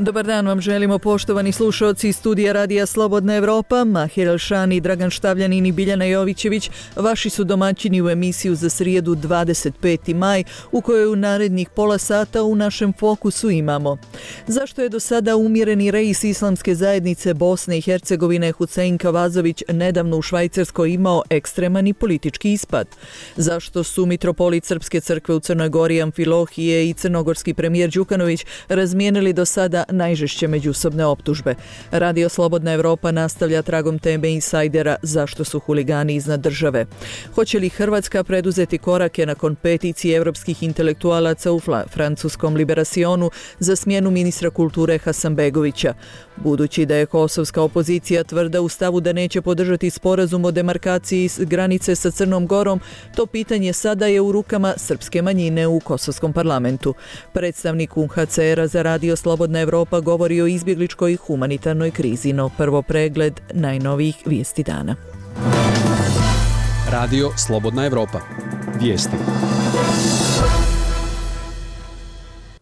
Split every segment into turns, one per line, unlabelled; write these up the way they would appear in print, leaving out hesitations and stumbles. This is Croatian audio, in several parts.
Dobar dan vam želimo, poštovani slušalci studija Radija Slobodna Evropa. Mahir Elšani, Dragan Štavljanin i Biljana Jovićević vaši su domaćini u emisiju za srijedu 25. maj, u kojoj u narednih pola sata u našem fokusu imamo: zašto je do sada umjereni reis Islamske zajednice Bosne i Hercegovine Husein Kavazović nedavno u Švajcarskoj imao ekstreman i politički ispad? Zašto su mitropolit Srpske crkve u Crnoj Gori Amfilohije i crnogorski premijer Đukanović razmijenili do sada najžešće međusobne optužbe? Radio Slobodna Evropa nastavlja tragom teme insajdera zašto su huligani iznad države. Hoće li Hrvatska preduzeti korake nakon peticije evropskih intelektualaca u francuskom Liberacionu za smjenu ministra kulture Hasanbegovića? Budući da je kosovska opozicija tvrda u stavu da neće podržati sporazum o demarkaciji granice sa Crnom Gorom, to pitanje sada je u rukama srpske manjine u kosovskom parlamentu. Predstavnik UNHCR-a za Radio Slobodna Evropa govori o izbjegličkoj humanitarnoj krizi, no prvo pregled najnovijih vijesti dana.
Radio Slobodna Evropa. Vijesti.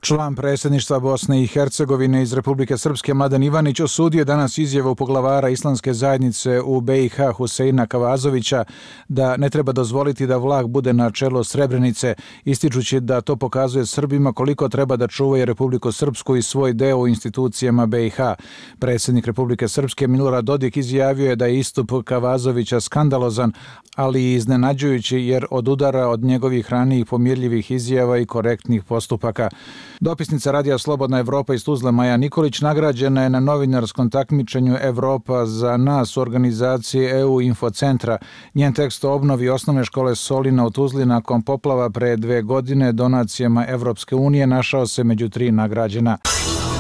Član predsjedništva Bosne i Hercegovine iz Republike Srpske Mladen Ivanić osudio danas izjavu poglavara Islamske zajednice u BiH Huseina Kavazovića da ne treba dozvoliti da Vlah bude na čelu Srebrenice, ističući da to pokazuje Srbima koliko treba da čuvaju Republiku Srpsku i svoj deo u institucijama BiH. Predsjednik Republike Srpske Milorad Dodik izjavio je da je istup Kavazovića skandalozan, ali i iznenađujući jer odudara od njegovih ranijih pomirljivih izjava i korektnih postupaka. Dopisnica Radija Slobodna Evropa iz Tuzle Maja Nikolić nagrađena je na novinarskom takmičenju Evropa za nas u organizaciji EU Infocentra. Njen tekst o obnovi osnovne škole Solina u Tuzli nakon poplava pre 2 godine donacijama Evropske unije našao se među 3 nagrađena.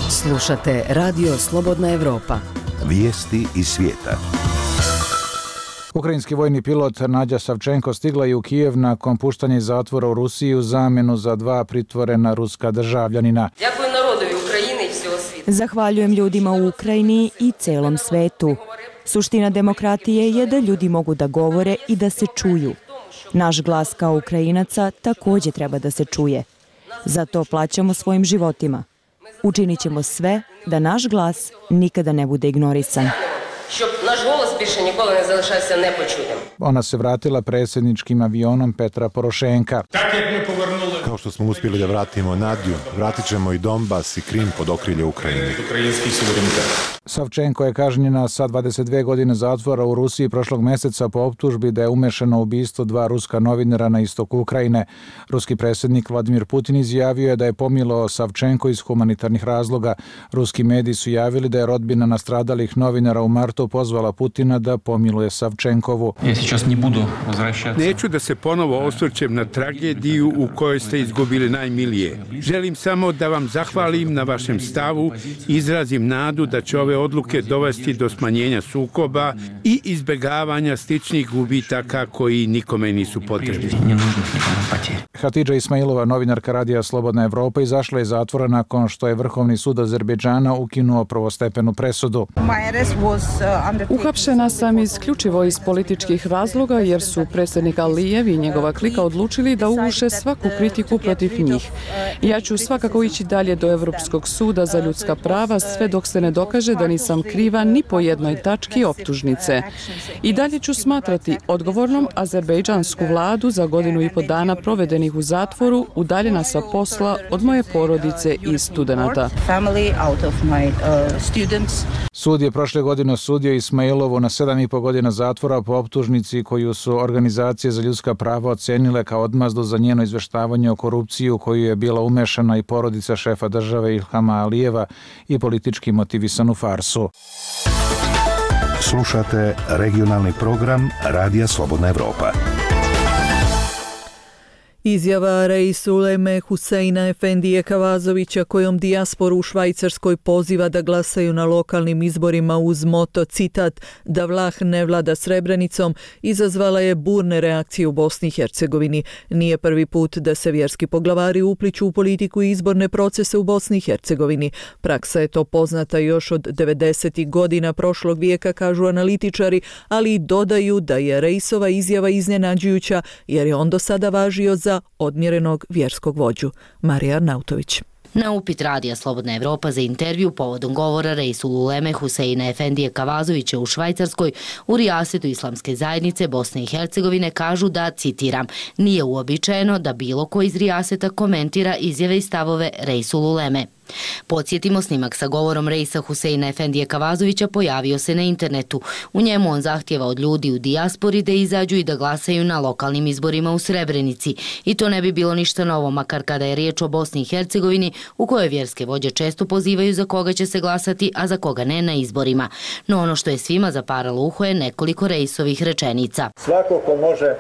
Slušate Radio Slobodna Evropa.
Vijesti iz svijeta.
Ukrajinski vojni pilot Nadja Savčenko stigla je u Kijev nakon puštanja iz zatvora u Rusiji u zamjenu za 2 pritvorena ruska državljanina.
Zahvaljujem ljudima u Ukrajini i celom svetu. Suština demokratije je da ljudi mogu da govore i da se čuju. Naš glas kao Ukrajinaca također treba da se čuje. Zato plaćamo svojim životima. Učinit ćemo sve da naš glas nikada ne bude ignorisan.
Щоб наш голос більше ніколи не залишався непочутим.
Ona se vratila predsjedničkim avionom Petra Porošenka.
Kao što smo uspjeli da vratimo Nadju, vratit ćemo i Donbas i Krim pod okrilje Ukrajine.
Savčenko je kažnjena sa 22 godine zatvora u Rusiji prošlog mjeseca po optužbi da je umešana u ubistvo 2 ruska novinara na istoku Ukrajine. Ruski predsjednik Vladimir Putin izjavio je da je pomilao Savčenko iz humanitarnih razloga. Ruski mediji su javili da je rodbina nastradalih novinara u martu pozvala Putina da pomiluje Savčenkovu.
Neću da se ponovo osvrćem na tragediju u kojoj ste izgubili najmilije. Želim samo da vam zahvalim na vašem stavu i izrazim nadu da će ove odluke dovesti do smanjenja sukoba i izbjegavanja sličnih gubitaka koji nikome nisu potrebni.
Hatidža Ismailova, novinarka Radija Slobodna Evropa, izašla iz zatvora nakon što je Vrhovni sud Azerbejdžana ukinuo prvostepenu presudu.
Uhapšena sam isključivo iz političkih razloga jer su predsjednik Alijev i njegova klika odlučili da uguše svaku kritiku protiv njih. Ja ću svakako ići dalje do Europskog suda za ljudska prava sve dok se ne dokaže da nisam kriva ni po jednoj tački optužnice. I dalje ću smatrati odgovornom azerbejdžansku vladu za 1,5 dana provedenih u zatvoru, udaljena sa posla od moje porodice i studenata.
Sud je prošle godine osudio Ismailovu na 7,5 godina zatvora po optužnici koju su organizacije za ljudska prava ocenile kao odmazdu za njeno izveštavanje o korupciji u koju je bila umešana i porodica šefa države Ilhama Alijeva i politički motivisanu farsu.
Slušate regionalni program Radija Slobodna Evropa.
Izjava Reis Uleme Huseina Efendije Kavazovića kojom dijasporu u Švajcarskoj poziva da glasaju na lokalnim izborima uz moto, citat, da vlah ne vlada Srebrenicom, izazvala je burne reakcije u Bosni i Hercegovini. Nije prvi put da se vjerski poglavari upliću u politiku i izborne procese u Bosni i Hercegovini. Praksa je to poznata još od 90. godina prošlog vijeka, kažu analitičari, ali i dodaju da je Reisova izjava iznenađujuća jer je on do sada važio za odmjerenog vjerskog vođu. Marija Arnautović.
Na upit Radija Slobodna Evropa za intervju povodom govora Reisul Uleme Huseina Efendije Kavazovića u Švajcarskoj u rijasetu Islamske zajednice Bosne i Hercegovine kažu da, citiram, nije uobičajeno da bilo ko iz rijaseta komentira izjave i stavove Reisul Uleme. Podsjetimo, snimak sa govorom Reisa Huseina Efendije Kavazovića pojavio se na internetu. U njemu on zahtjeva od ljudi u dijaspori da izađu i da glasaju na lokalnim izborima u Srebrenici. I to ne bi bilo ništa novo, makar kada je riječ o Bosni i Hercegovini, u kojoj vjerske vođe često pozivaju za koga će se glasati, a za koga ne na izborima. No ono što je svima zaparalo uho je nekoliko Reisovih rečenica.
Svako ko može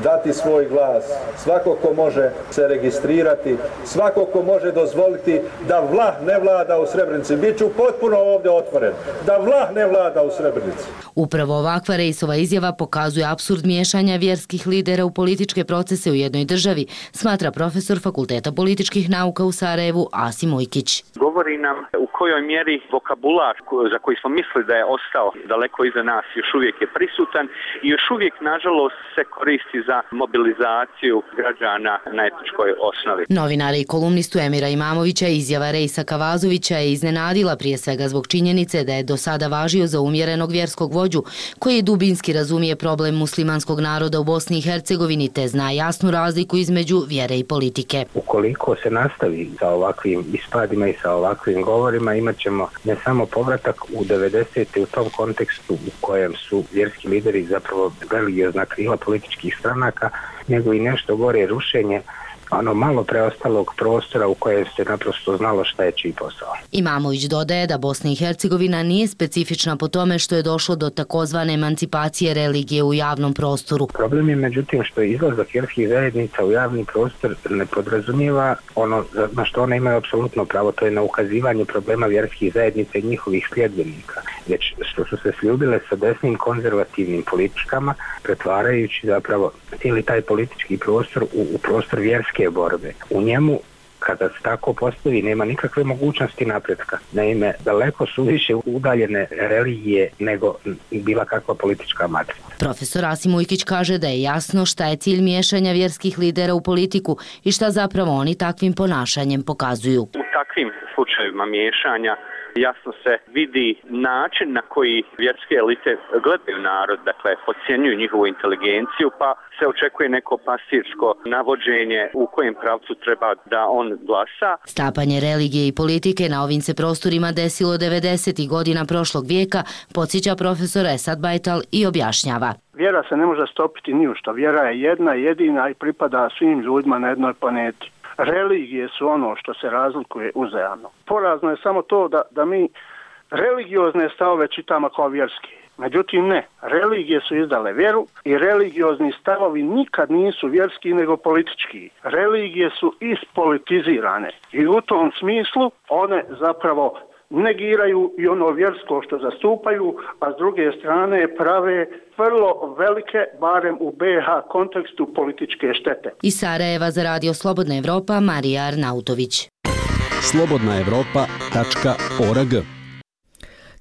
dati svoj glas, svako ko može se registrirati, svako ko može dozvoliti da vlah ne vlada u Srebrenici. Biću potpuno ovdje otvoren. Da vlah ne vlada u Srebrenici.
Upravo ovakva Reisova izjava pokazuje apsurd miješanja vjerskih lidera u političke procese u jednoj državi, smatra profesor Fakulteta političkih nauka u Sarajevu Asim Ujkić.
Govori nam u kojoj mjeri vokabular za koji smo mislili da je ostao daleko iza nas još uvijek je prisutan i još uvijek nažalost se koristi za mobilizaciju građana na etničkoj osnovi.
Novinara i kolumnistu Emira Imamovića izjava Reisa Kavazovića je iznenadila prije svega zbog činjenice da je do sada važio za umjerenog vjerskog vođu koji dubinski razumije problem muslimanskog naroda u Bosni i Hercegovini te zna jasnu razliku između vjere i politike.
Ukoliko se nastavi sa ovakvim ispadima i sa ovakvim govorima, imat ćemo ne samo povratak u 90. u tom kontekstu u kojem su vjerski lideri zapravo religiozna krila političkih stranaka, nego i nešto gore rušenje ono malo preostalog prostora u kojem se naprosto znalo šta je čiji posao.
Imamović dodaje da Bosna i Hercegovina nije specifična po tome što je došlo do takozvane emancipacije religije u javnom prostoru.
Problem je međutim što izlazak vjerskih zajednica u javni prostor ne podrazumijeva ono na što one imaju apsolutno pravo, to je na ukazivanje problema vjerskih zajednica i njihovih sljedbenika, već što su se sljubile sa desnim konzervativnim politikama, pretvarajući zapravo cijeli taj politički prostor u prostor vjerske borbe. U njemu, kada se tako postavi, nema nikakve mogućnosti napretka. Naime, daleko su više udaljene religije nego bila kakva politička matrica.
Profesor Asim Ujkić kaže da je jasno šta je cilj miješanja vjerskih lidera u politiku i šta zapravo oni takvim ponašanjem pokazuju.
U takvim slučajevima miješanja jasno se vidi način na koji vjerske elite gledaju narod, dakle podcjenjuju njihovu inteligenciju, pa se očekuje neko pastirsko navođenje u kojem pravcu treba da on glasa.
Stapanje religije i politike na ovim se prostorima desilo 90. godina prošlog vijeka, podsjeća profesor Esad Bajtal i objašnjava.
Vjera se ne može stopiti ni u što. Vjera je jedna, jedina i pripada svim ljudima na jednoj planeti. Religije su ono što se razlikuje uzajamno. Porazno je samo to da mi religiozne stavove čitamo kao vjerski. Međutim ne, religije su izdale vjeru i religiozni stavovi nikad nisu vjerski nego politički. Religije su ispolitizirane i u tom smislu one zapravo negiraju i ono vjersko što zastupaju, a s druge strane prave vrlo velike, barem u BiH kontekstu, političke štete.
Iz Sarajeva za Radio Slobodna Evropa, Marija Arnautović.
slobodnaevropa.org.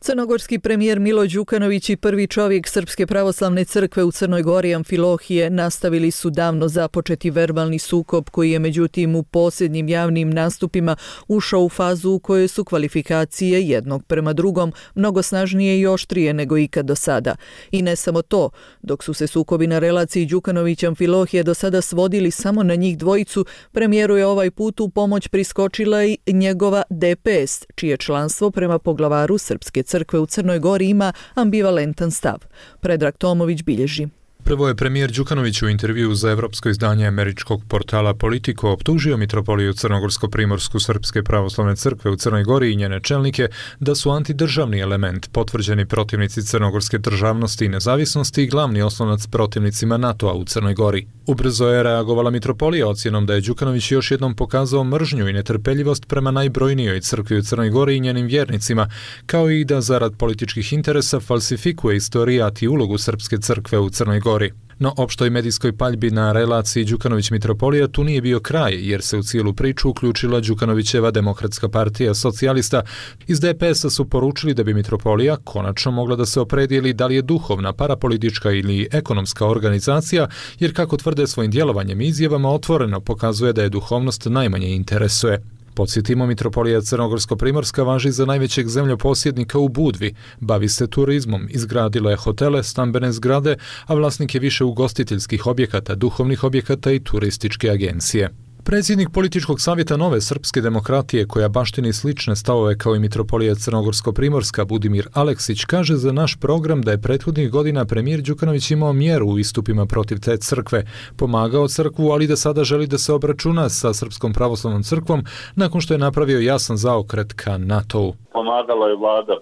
Crnogorski premijer Milo Đukanović i prvi čovjek Srpske pravoslavne crkve u Crnoj Gori Amfilohije nastavili su davno započeti verbalni sukob koji je međutim u posljednjim javnim nastupima ušao u fazu u kojoj su kvalifikacije jednog prema drugom mnogo snažnije i oštrije nego ikad do sada. I ne samo to, dok su se sukobi na relaciji Đukanović-Amfilohije do sada svodili samo na njih dvojicu, premijeru je ovaj put u pomoć priskočila i njegova DPS, čije članstvo prema poglavaru Srpske crkve u Crnoj Gori ima ambivalentan stav. Predrag Tomović bilježi.
Prvo je premijer Đukanović u intervjuu za evropsko izdanje američkog portala Politico optužio mitropoliju Crnogorsko-Primorsku Srpske pravoslavne crkve u Crnoj Gori i njene čelnike da su antidržavni element, potvrđeni protivnici crnogorske državnosti i nezavisnosti i glavni oslonac protivnicima NATO-a u Crnoj Gori. Ubrzo je reagovala mitropolija ocjenom da je Đukanović još jednom pokazao mržnju i netrpeljivost prema najbrojnijoj crkvi u Crnoj Gori i njenim vjernicima, kao i da zarad političkih interesa falsifikuje istorijat i ulogu Srpske crkve u Crnoj Gori. No opštoj medijskoj paljbi na relaciji Đukanović-mitropolija tu nije bio kraj, jer se u cijelu priču uključila Đukanovićeva Demokratska partija socijalista. Iz DPS-a su poručili da bi mitropolija konačno mogla da se opredijeli da li je duhovna, parapolitička ili ekonomska organizacija, jer kako tvrde svojim djelovanjem i izjavama otvoreno pokazuje da je duhovnost najmanje interesuje. Podsjetimo, mitropolija Crnogorsko-Primorska važi za najvećeg zemljoposjednika u Budvi, bavi se turizmom, izgradila je hotele, stambene zgrade, a vlasnik je više ugostiteljskih objekata, duhovnih objekata i turističke agencije. Predsjednik političkog savjeta Nove srpske demokratije, koja baštini slične stavove kao i mitropolija Crnogorsko-Primorska, Budimir Aleksić, kaže za naš program da je prethodnih godina premijer Đukanović imao mjeru u istupima protiv te crkve, pomagao crkvu, ali da sada želi da se obračuna sa Srpskom pravoslavnom crkvom nakon što je napravio jasan zaokret ka NATO-u.
Pomagala je vlada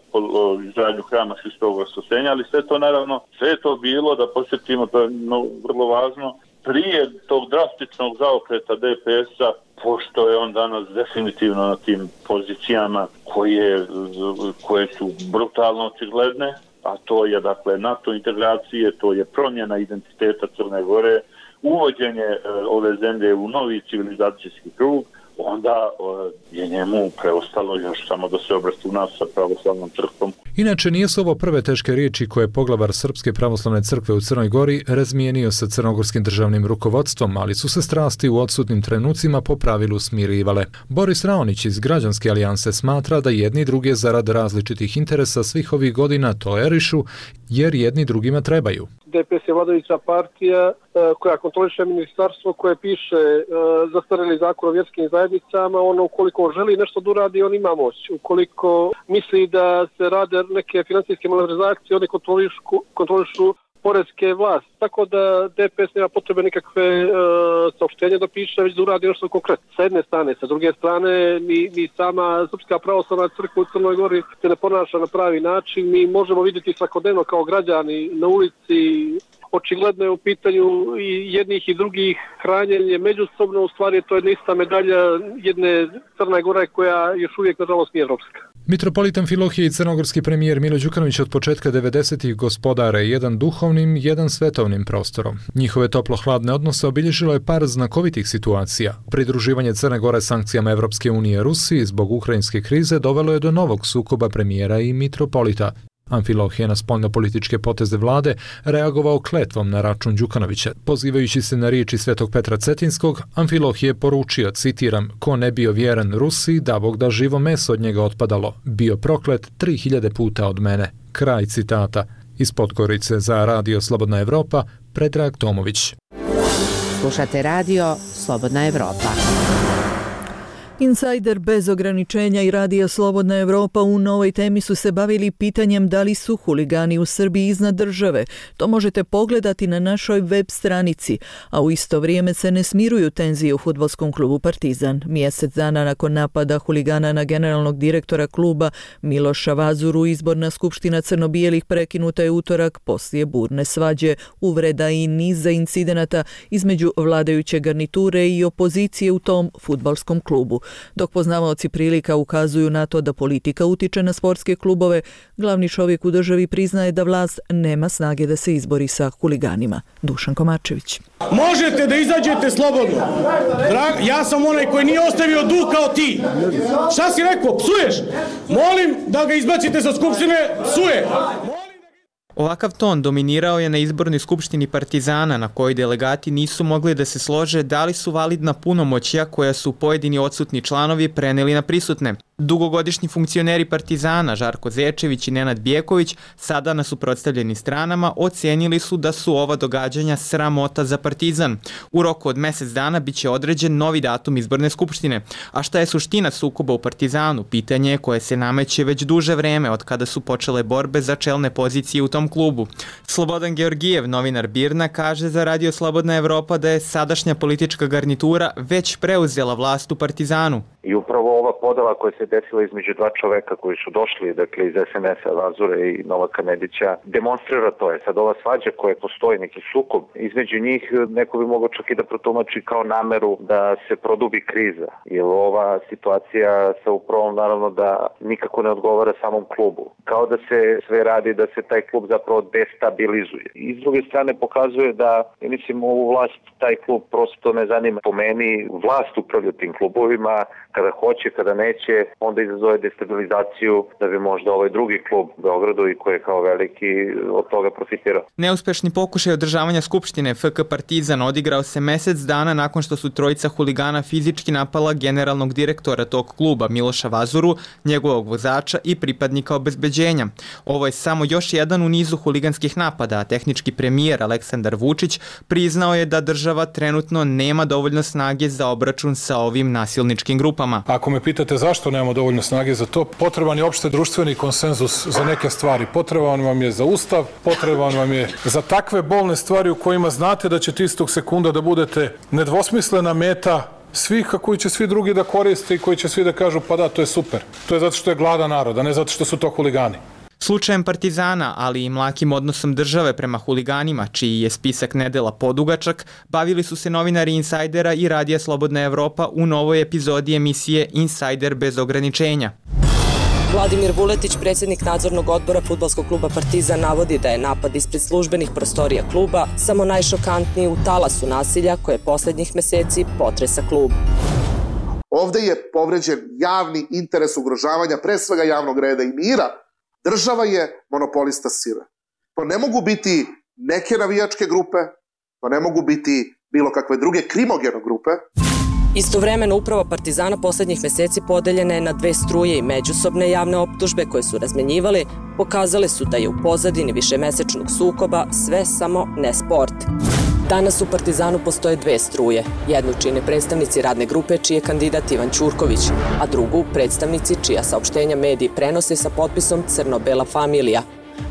izgradnju hrama Hristovog Vaskrsenja, ali sve to naravno, sve je to bilo, da posjetimo, to je vrlo važno, prije tog drastičnog zaokreta DPS-a, pošto je on danas definitivno na tim pozicijama koje su brutalno očigledne, a to je dakle NATO integracije, to je promjena identiteta Crne Gore, uvođenje ove zemlje u novi civilizacijski krug, onda je njemu preostalo još samo da se obračuna sa pravoslavnom crkvom.
Inače, nisu ovo prve teške riječi koje je poglavar Srpske pravoslavne crkve u Crnoj Gori razmijenio sa crnogorskim državnim rukovodstvom, ali su se strasti u odsutnim trenucima po pravilu smirivale. Boris Raonić iz Građanske alijanse smatra da jedni druge zarad različitih interesa svih ovih godina tolerišu, jer jedni drugima trebaju.
DPS je vladajuća partija koja kontroliše ministarstvo, koje piše zastarjeli zakon o vjerskim zajednicama. Ono, ukoliko želi nešto da uradi, on ima moć. Ukoliko misli da se rade neke financijske malverzacije, oni kontrolišu poreske vlasti. Tako da DPS nema potrebe nikakve saopštenja da piše, već da uradi nešto konkretno. Sa jedne strane, sa druge strane, ni sama Srpska pravoslavna crkva u Crnoj Gori se ne ponaša na pravi način. Mi možemo vidjeti svakodnevno kao građani na ulici, očigledno je u pitanju i jednih i drugih hranjenje međusobno, u stvari to je ista medalja jedne Crne Gore koja još uvijek nažalost nije evropska.
Mitropolit Amfilohije i crnogorski premijer Milo Đukanović od početka 90-ih gospodare jedan duhovnim, jedan svetovnim prostorom. Njihove toplo-hladne odnose obilježilo je par znakovitih situacija. Pridruživanje Crne Gore sankcijama Evropske unije Rusiji zbog ukrajinske krize dovelo je do novog sukoba premijera i mitropolita. Amfilohije na spoljnopolitičke poteze vlade reagovao kletvom na račun Đukanovića. Pozivajući se na riječi Svetog Petra Cetinskog, Amfilohije poručio, citiram, ko ne bio vjeran Rusiji, da Bog da živo meso od njega otpadalo, bio proklet 3000 puta od mene. Kraj citata. Iz Podgorice za Radio Slobodna Evropa, Predrag Tomović.
Slušate Radio Slobodna Evropa.
Insajder bez ograničenja i Radio Slobodna Evropa u novoj temi su se bavili pitanjem da li su huligani u Srbiji iznad države. To možete pogledati na našoj web stranici, a u isto vrijeme se ne smiruju tenzije u fudbalskom klubu Partizan. Mjesec dana nakon napada huligana na generalnog direktora kluba Miloša Vazuru, izborna skupština crno-bijelih prekinuta je utorak poslije burne svađe, uvreda i niza incidenata između vladajuće garniture i opozicije u tom fudbalskom klubu. Dok poznavaoci prilika ukazuju na to da politika utiče na sportske klubove, glavni čovjek u državi priznaje da vlast nema snage da se izbori sa huliganima. Dušan Komarčević.
Možete da izađete slobodno. Ja sam onaj koji nije ostavio dug kao ti. Šta si rekao? Psuješ? Molim da ga izbacite sa skupštine. Psuje.
Ovakav ton dominirao je na izbornoj skupštini Partizana, na kojoj delegati nisu mogli da se slože da li su validna punomoćja koja su pojedini odsutni članovi preneli na prisutne. Dugogodišnji funkcioneri Partizana Žarko Zečević i Nenad Bijeković, sada na suprotstavljenim stranama, ocenili su da su ova događanja sramota za Partizan. U roku od mjesec dana biće određen novi datum izborne skupštine. A šta je suština sukoba u Partizanu? Pitanje je koje se nameće već duže vreme od kada su počele borbe za čelne pozicije u tom klubu. Slobodan Georgijev, novinar BIRN-a, kaže za Radio Slobodna Evropa da je sadašnja politička garnitura već preuzela vlast u Partizanu.
I upravo ova podela koja se desila između dva čoveka koji su došli, dakle iz SNS-a, Vazure i Novaka Nedića, demonstrira to. Je sad ova svađa koja postoji, neki sukob između njih, neko bi mogao čak i da protumači kao nameru da se produbi kriza. Jer ova situacija sa upravom naravno da nikako ne odgovara samom klubu. Kao da se sve radi da se taj klub zapravo destabilizuje. I s druge strane pokazuje da, mislim, ovu vlast taj klub prosto ne zanima. Po meni vlast upravlja tim klubovima, kada hoće, kada neće, onda izazove destabilizaciju da bi možda ovaj drugi klub u Beogradu i koji je kao veliki od toga profitirao.
Neuspešni pokušaj održavanja skupštine FK Partizan odigrao se mjesec dana nakon što su trojica huligana fizički napala generalnog direktora tog kluba Miloša Vazuru, njegovog vozača i pripadnika obezbeđenja. Ovo je samo još jedan u nizu huliganskih napada, a tehnički premijer Aleksandar Vučić priznao je da država trenutno nema dovoljno snage za obračun sa ovim nasilničkim grupama.
Ako me pitate zašto nemamo dovoljno snage za to, potreban je opšte društveni konsenzus za neke stvari. Potreban vam je za ustav, potreban vam je za takve bolne stvari u kojima znate da ćete istog sekunda da budete nedvosmislena meta svih koji će svi drugi da koriste i koji će svi da kažu pa da, to je super. To je zato što je gladan narod, a ne zato što su to huligani.
Slučajem Partizana, ali i mlakim odnosom države prema huliganima, čiji je spisak nedela podugačak, bavili su se novinari Insajdera i Radija Slobodna Evropa u novoj epizodi emisije Insajder bez ograničenja.
Vladimir Vuletić, predsjednik nadzornog odbora fudbalskog kluba Partizan, navodi da je napad ispred službenih prostorija kluba samo najšokantniji u talasu nasilja koje posljednjih mjeseci potresa klub.
Ovdje je povređen javni interes ugrožavanja pre svega javnog reda i mira. Država je monopolista sile. To ne mogu biti neke navijačke grupe, to ne mogu biti bilo kakve druge krimogene grupe.
Istovremeno uprava Partizana posljednjih mjeseci podeljena je na dve struje i međusobne javne optužbe koje su razmenjivali pokazale su da je u pozadini višemesečnog sukoba sve samo ne sport. Danas u Partizanu postoje dve struje. Jednu čine predstavnici radne grupe čiji je kandidat Ivan Ćurković, a drugu predstavnici čija saopštenja mediji prenose sa potpisom Crno-bela familija,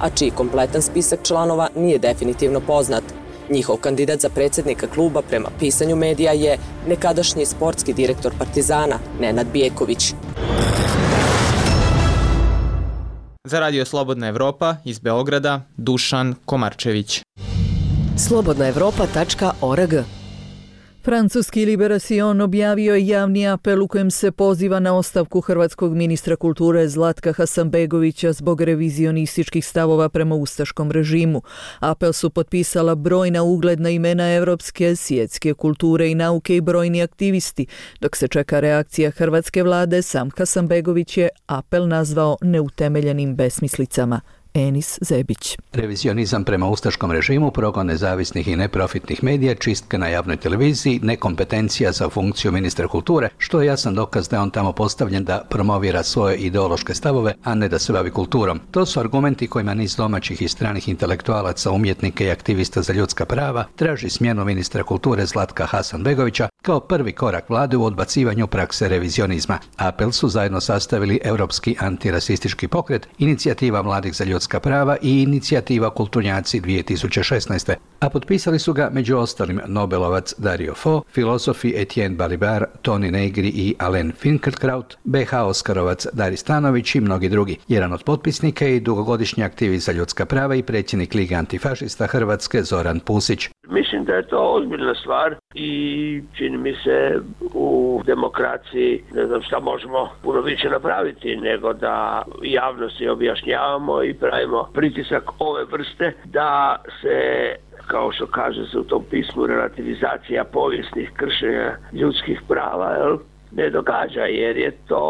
a čiji kompletan spisak članova nije definitivno poznat. Njihov kandidat za predsjednika kluba prema pisanju medija je nekadašnji sportski direktor Partizana, Nenad Bijeković.
Za Radio Slobodna Evropa iz Beograda, Dušan Komarčević.
slobodnaevropa.org.
Francuski Liberacion objavio je javni apel u kojem se poziva na ostavku hrvatskog ministra kulture Zlatka Hasanbegovića zbog revizionističkih stavova prema ustaškom režimu. Apel su potpisala brojna ugledna imena evropske, svjetske kulture i nauke i brojni aktivisti. Dok se čeka reakcija hrvatske vlade, sam Hasanbegović je apel nazvao neutemeljenim besmislicama. Enis Zebić.
Revizionizam prema ustaškom režimu, progon nezavisnih i neprofitnih medija, čistka na javnoj televiziji, nekompetencija za funkciju ministra kulture, što je jasan dokaz da je on tamo postavljen da promovira svoje ideološke stavove, a ne da se bavi kulturom. To su argumenti kojima niz domaćih i stranih intelektualaca, umjetnika i aktivista za ljudska prava traži smjenu ministra kulture Zlatka Hasanbegovića kao prvi korak vlade u odbacivanju prakse revizionizma. Apel su zajedno sastavili Europski antirasistički pokret, Inicijativa mladih za ljudska prava i Inicijativa kulturnjaci 2016. A potpisali su ga među ostalim Nobelovac Dario Fo, filozofi Etienne Balibar, Toni Negri i Alain Finkielkraut, BH Oskarovac Dari Stanović i mnogi drugi. Jedan od potpisnika je i dugogodišnji aktivist za ljudska prava i predsjednik Lige antifašista Hrvatske Zoran Pusić.
Mislim da je to ozbiljna stvar i čini mi se u demokraciji ne znam šta možemo puno više napraviti nego da javnosti objašnjavamo i pravimo pritisak ove vrste da se, kao što kaže se u tom pismu, relativizacija povijesnih kršenja ljudskih prava ne događa, jer je to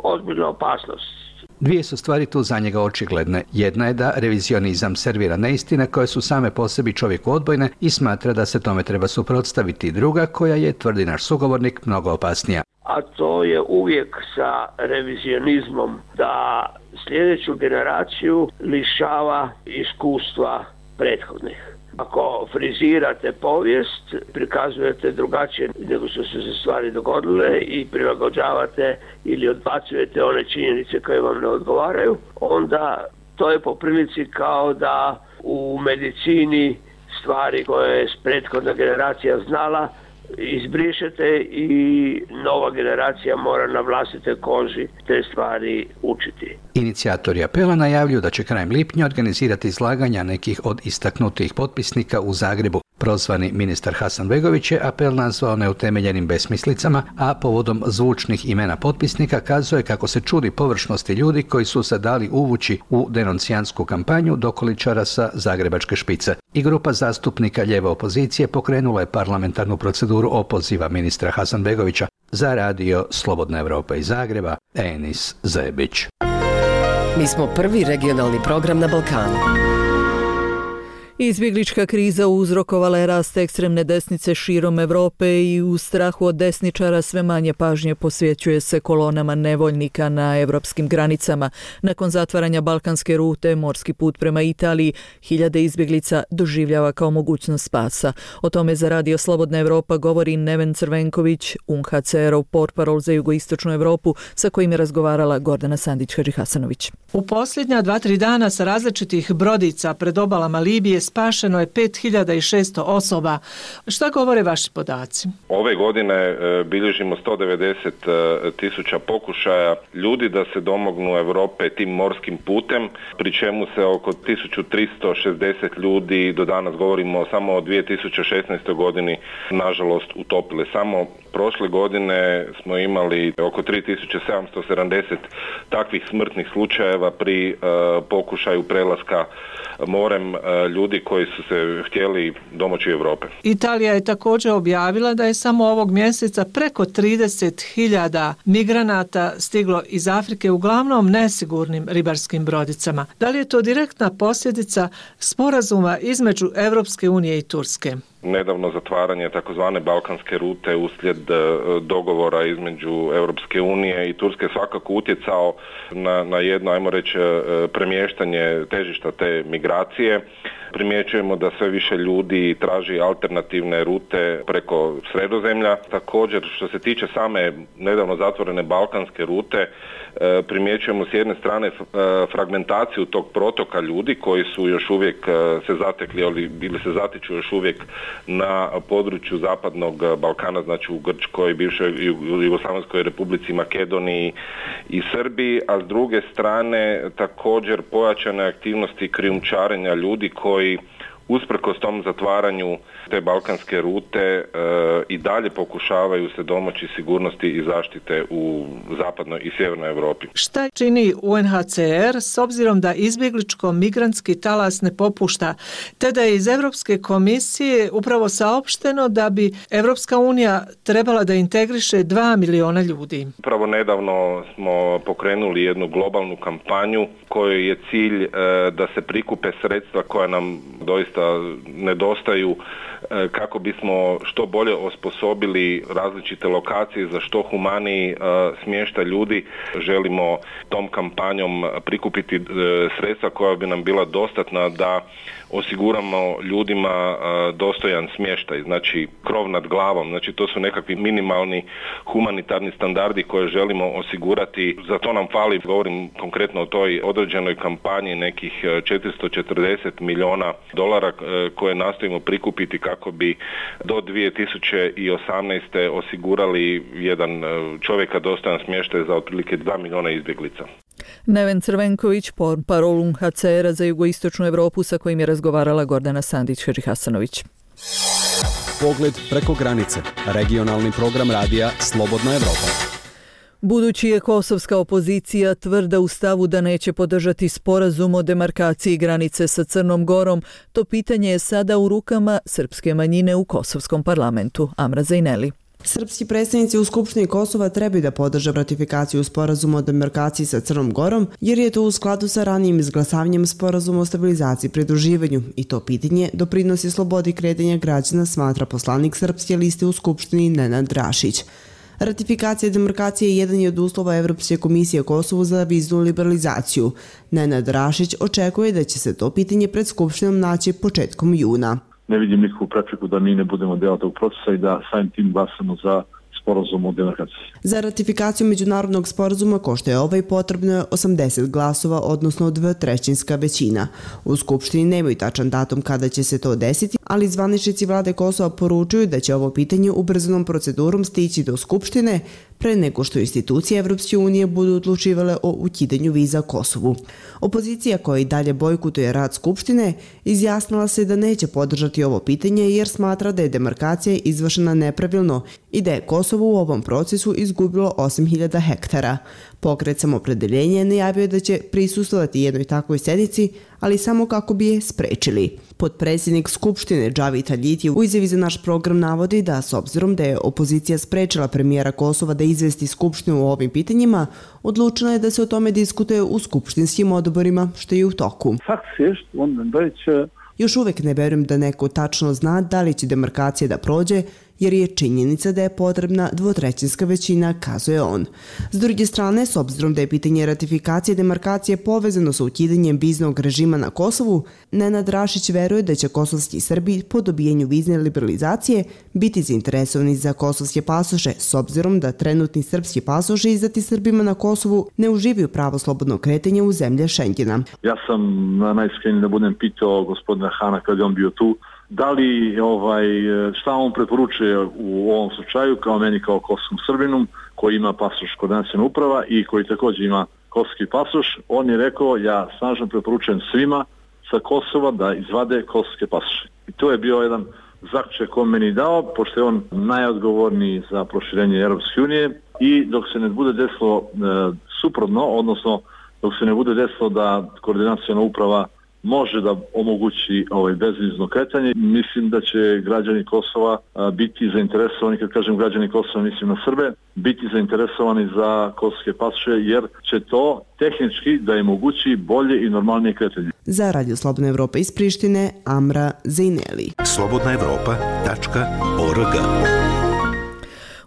ozbiljna opasnost.
Dvije su stvari tu za njega očigledne. Jedna je da revizionizam servira neistine koje su same po sebi čovjeku odbojne i smatra da se tome treba suprotstaviti. Druga koja je, tvrdi naš sugovornik, mnogo opasnija.
A to je uvijek sa revizionizmom da sljedeću generaciju lišava iskustva prethodnih. Ako frizirate povijest, prikazujete drugačije nego što su se stvari dogodile i prilagođavate ili odbacujete one činjenice koje vam ne odgovaraju, onda to je po prilici kao da u medicini stvari koje je prethodna generacija znala izbrišete i nova generacija mora na vlastite koži te stvari učiti.
Inicijatori apela najavljuju da će krajem lipnja organizirati izlaganja nekih od istaknutih potpisnika u Zagrebu. Prozvani ministar Hasanbegović je apel nazvao neutemeljenim besmislicama, a povodom zvučnih imena potpisnika kazuje kako se čudi površnosti ljudi koji su se dali uvući u denuncijansku kampanju dokoličara sa zagrebačke špice. I grupa zastupnika lijeve opozicije pokrenula je parlamentarnu proceduru opoziva ministra Hasanbegovića. Za radio Slobodna Evropa iz Zagreba, Enis Zebić.
Mi smo prvi regionalni program na Balkanu.
Izbjeglička kriza uzrokovala je rast ekstremne desnice širom Europe i u strahu od desničara sve manje pažnje posvećuje se kolonama nevoljnika na europskim granicama. Nakon zatvaranja balkanske rute, morski put prema Italiji, hiljade izbjeglica doživljava kao mogućnost spasa. O tome za radio Slobodna Evropa govori Neven Crvenković, UNHCR-ov portparol za jugoistočnu Europu, sa kojim je razgovarala Gordana Sandić-Hadžihasanović.
U posljednja 2-3 dana sa različitih brodica pred obalama Libije spašeno je 5600 osoba. Šta govore vaši podaci?
Ove godine bilježimo 190.000 pokušaja ljudi da se domognu Europe tim morskim putem, pri čemu se oko 1360 ljudi, do danas govorimo samo o 2016. godini, nažalost utopile. Samo prošle godine smo imali oko 3770 takvih smrtnih slučajeva pri pokušaju prelaska morem ljudi koji su se htjeli domoći Europe.
Italija je također objavila da je samo ovog mjeseca preko 30.000 migranata stiglo iz Afrike, uglavnom nesigurnim ribarskim brodicama. Da li je to direktna posljedica sporazuma između Europske unije i Turske?
Nedavno zatvaranje takozvane balkanske rute uslijed dogovora između Europske unije i Turske svakako utjecao na jedno, ajmo reći, premještanje težišta te migracije. Primjećujemo da sve više ljudi traži alternativne rute preko Sredozemlja. Također, što se tiče same nedavno zatvorene balkanske rute, primjećujemo s jedne strane fragmentaciju tog protoka ljudi koji su još uvijek se zatekli ili se zatiču još uvijek na području zapadnog Balkana, znači u Grčkoj, bivšoj Jugoslavenskoj Republici, Makedoniji i Srbiji, a s druge strane također pojačane aktivnosti krijumčarenja ljudi koji usprkos tom zatvaranju te balkanske rute i dalje pokušavaju se domoći sigurnosti i zaštite u zapadnoj i sjevernoj Europi.
Šta čini UNHCR s obzirom da izbjegličko-migrantski talas ne popušta, te da je iz Europske komisije upravo saopšteno da bi Europska unija trebala da integriše 2 miliona ljudi?
Upravo nedavno smo pokrenuli jednu globalnu kampanju kojoj je cilj da se prikupe sredstva koja nam doista nedostaju kako bismo što bolje osposobili različite lokacije za što humaniji smještaj ljudi. Želimo tom kampanjom prikupiti sredstva koja bi nam bila dostatna da osiguramo ljudima dostojan smještaj, znači krov nad glavom, znači to su nekakvi minimalni humanitarni standardi koje želimo osigurati. Za to nam fali, govorim konkretno o toj određenoj kampanji, nekih 440 milijuna dolara koje nastojimo prikupiti kako bi do 2018. osigurali jedan čovjeka dostojan smještaj za otprilike 2 milijuna izbjeglica.
Neven Crvenković, portparol UNHCR-a za jugoistočnu Europu, sa kojim je razgovarala Gordana Sandić-Hadžihasanović.
Pogled preko granice. Regionalni program radija Slobodna Evropa.
Budući je kosovska opozicija tvrda u stavu da neće podržati sporazum o demarkaciji granice sa Crnom Gorom, to pitanje je sada u rukama srpske manjine u kosovskom parlamentu. Amra Zajneli.
Srpski predstavnici u Skupštini Kosova trebaju da podrže ratifikaciju sporazuma o demarkaciji sa Crnom Gorom, jer je to u skladu sa ranijim izglasavanjem sporazuma o stabilizaciji i pridruživanju i to pitanje doprinosi slobodi kretanja građana, smatra poslanik Srpske liste u Skupštini Nenad Rašić. Ratifikacija demarkacije jedan je od uslova Evropske komisije Kosovu za viznu liberalizaciju. Nenad Rašić očekuje da će se to pitanje pred Skupštinom naći početkom juna.
Ne vidim nikakvu prepreku da mi ne budemo deo tog procesa i da samim tim glasamo za sporazum o demarkaciji.
Za ratifikaciju međunarodnog sporazuma, ko što je ovaj, potrebno je 80 glasova, odnosno 2/3 većina. U Skupštini nemaju tačan datum kada će se to desiti, ali zvaničnici vlade Kosova poručuju da će ovo pitanje ubrzanom procedurom stići do Skupštine pre nego što institucije Evropske unije budu odlučivale o ukidanju viza Kosovu. Opozicija, koja i dalje bojkotuje rad Skupštine, izjasnila se da neće podržati ovo pitanje jer smatra da je demarkacija izvršena nepravilno i da je Kosovo u ovom procesu izgubilo 8.000 hektara. Pokret Samopredeljenje najavio da će prisustvovati jednoj takvoj sednici, ali samo kako bi je sprečili. Potpredsjednik Skupštine Džavit Haljiti u izjavi za naš program navodi da, s obzirom da je opozicija sprečila premijera Kosova da izvesti Skupštinu o ovim pitanjima, odlučeno je da se o tome diskutuje u skupštinskim odborima, što je u toku. Još uvek ne verujem da neko tačno zna da li će demarkacija da prođe, jer je činjenica da je potrebna 2/3 većina, kazuje on. S druge strane, s obzirom da je pitanje ratifikacije demarkacije povezano sa ukidanjem viznog režima na Kosovu, Nenad Rašić veruje da će kosovski Srbi po dobijanju vizne liberalizacije biti zainteresovani za kosovske pasoše, s obzirom da trenutni srpski pasoši izdati Srbima na Kosovu ne uživaju pravo slobodnog kretanja u zemlje Šengena.
Ja sam najiskreniji da budem pitao gospodina Hana kad je on bio tu, da li šta on preporučuje u ovom slučaju kao meni kao kosovskom Srbinu koji ima pasoš koordinaciona uprava i koji također ima kosovski pasoš. On je rekao, ja snažno preporučujem svima sa Kosova da izvade kosovske pasoše. I to je bio jedan zaključak koji meni dao, pošto je on najodgovorniji za proširenje Europske unije i dok se ne bude desilo suprotno, odnosno dok se ne bude desilo da koordinaciona uprava može da omogući bezvizno kretanje. Mislim da će građani Kosova biti zainteresovani, kad kažem građani Kosova mislim na Srbe, biti zainteresovani za kosovske pasoše jer će to tehnički da je mogući bolje i normalnije kretanje.
Za Radio Slobodna Evropa iz Prištine, Amra Zejneli.
slobodnaevropa.org.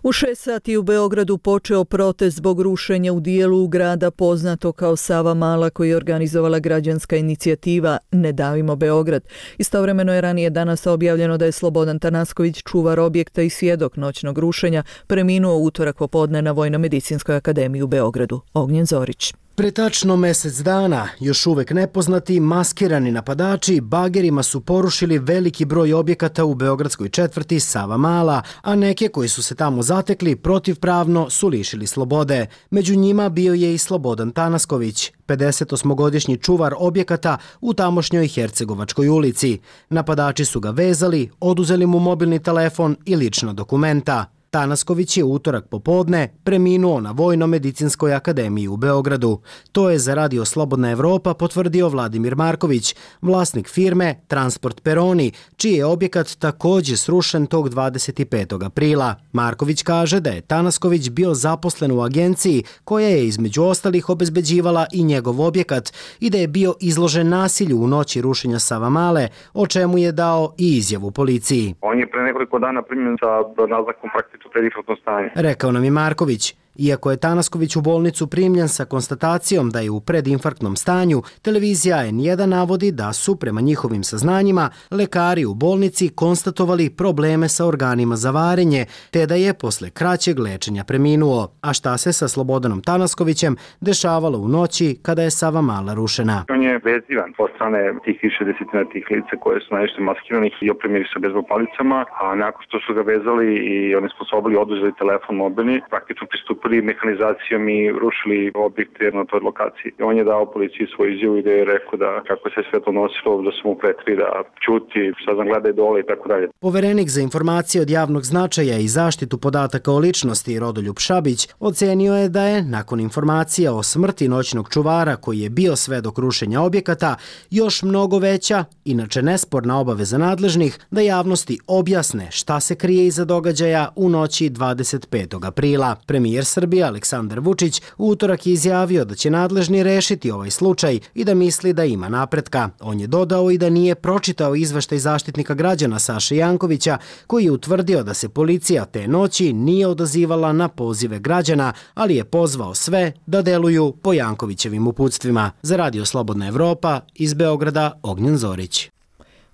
U 6 sati u Beogradu počeo protest zbog rušenja u dijelu grada poznato kao Savamala koji je organizovala građanska inicijativa Ne davimo Beograd. Istovremeno je ranije danas objavljeno da je Slobodan Tanasković, čuvar objekta i svjedok noćnog rušenja, preminuo utorak popodne na Vojno-medicinskoj akademiji u Beogradu. Ognjen Zorić.
Pre tačno mesec dana, još uvek nepoznati, maskirani napadači bagerima su porušili veliki broj objekata u beogradskoj četvrti Savamala, a neke koji su se tamo zatekli protivpravno su lišili slobode. Među njima bio je i Slobodan Tanasković, 58-godišnji čuvar objekata u tamošnjoj Hercegovačkoj ulici. Napadači su ga vezali, oduzeli mu mobilni telefon i lična dokumenta. Tanasković je utorak popodne preminuo na Vojno-medicinskoj akademiji u Beogradu. To je za Radio Slobodna Evropa potvrdio Vladimir Marković, vlasnik firme Transport Peroni, čiji je objekat također srušen tog 25. aprila. Marković kaže da je Tanasković bio zaposlen u agenciji koja je između ostalih obezbeđivala i njegov objekat i da je bio izložen nasilju u noći rušenja Savamale, o čemu je dao i izjavu policiji.
On je pre nekoliko dana primljen sa naznakom praktično predinfarktno stanje.
Rekao nam je Marković. Iako je Tanasković u bolnicu primljen sa konstatacijom da je u predinfarktnom stanju, televizija N1 navodi da su, prema njihovim saznanjima, lekari u bolnici konstatovali probleme sa organima za varenje, te da je posle kraćeg lečenja preminuo. A šta se sa Slobodanom Tanaskovićem dešavalo u noći kada je Savamala rušena?
On je vezivan od strane tih više desetina tih lica koje su najviše maskiranih i opremili sa bejzbol palicama, a nakon što su ga vezali i onesposobili, oduzeli telefon mobilni, praktično pristupili nastupili mehanizacijom i rušili objekte na toj lokaciji. On je dao policiji svoju izjavu i da je rekao da kako se sve to nosilo, da su mu pretili da ćuti, sad nam gledaj dole i tako dalje.
Poverenik za informacije od javnog značaja i zaštitu podataka o ličnosti Rodoljub Šabić ocenio je da je, nakon informacija o smrti noćnog čuvara koji je bio svedok rušenja objekata, još mnogo veća, inače nesporna obaveza nadležnih da javnosti objasne šta se krije iza događaja u noći 25. aprila. Premijer Srbije Aleksandar Vučić u utorak je izjavio da će nadležni rešiti ovaj slučaj i da misli da ima napretka. On je dodao i da nije pročitao izveštaj Zaštitnika građana Saše Jankovića koji je utvrdio da se policija te noći nije odazivala na pozive građana, ali je pozvao sve da deluju po Jankovićevim uputstvima. Za Radio Slobodna Evropa, iz Beograda, Ognjen Zorić.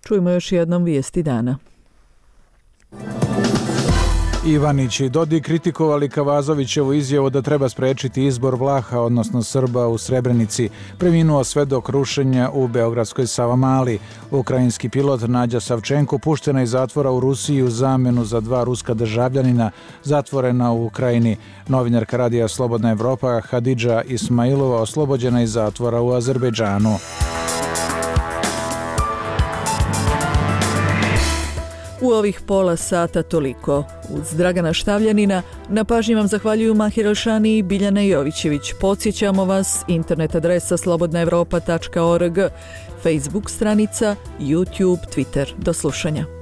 Čujemo još jednom vijesti dana.
Ivanić i Dodik kritikovali Kavazovićevu izjavu da treba sprečiti izbor Vlaha, odnosno Srba u Srebrenici. Preminuo svedok rušenja u beogradskoj Savamali. Ukrajinski pilot Nađa Savčenko puštena iz zatvora u Rusiji u zamenu za 2 ruska državljanina zatvorena u Ukrajini. Novinarka Radija Slobodna Evropa Hadidža Ismailova oslobođena iz zatvora u Azerbejdžanu.
U ovih pola sata toliko. Uz Dragana Štavljanina na pažnji vam zahvaljuju Mahir Elšani i Biljana Jovićević. Podsjećamo vas, internet adresa slobodnaevropa.org, Facebook stranica, YouTube, Twitter. Do slušanja.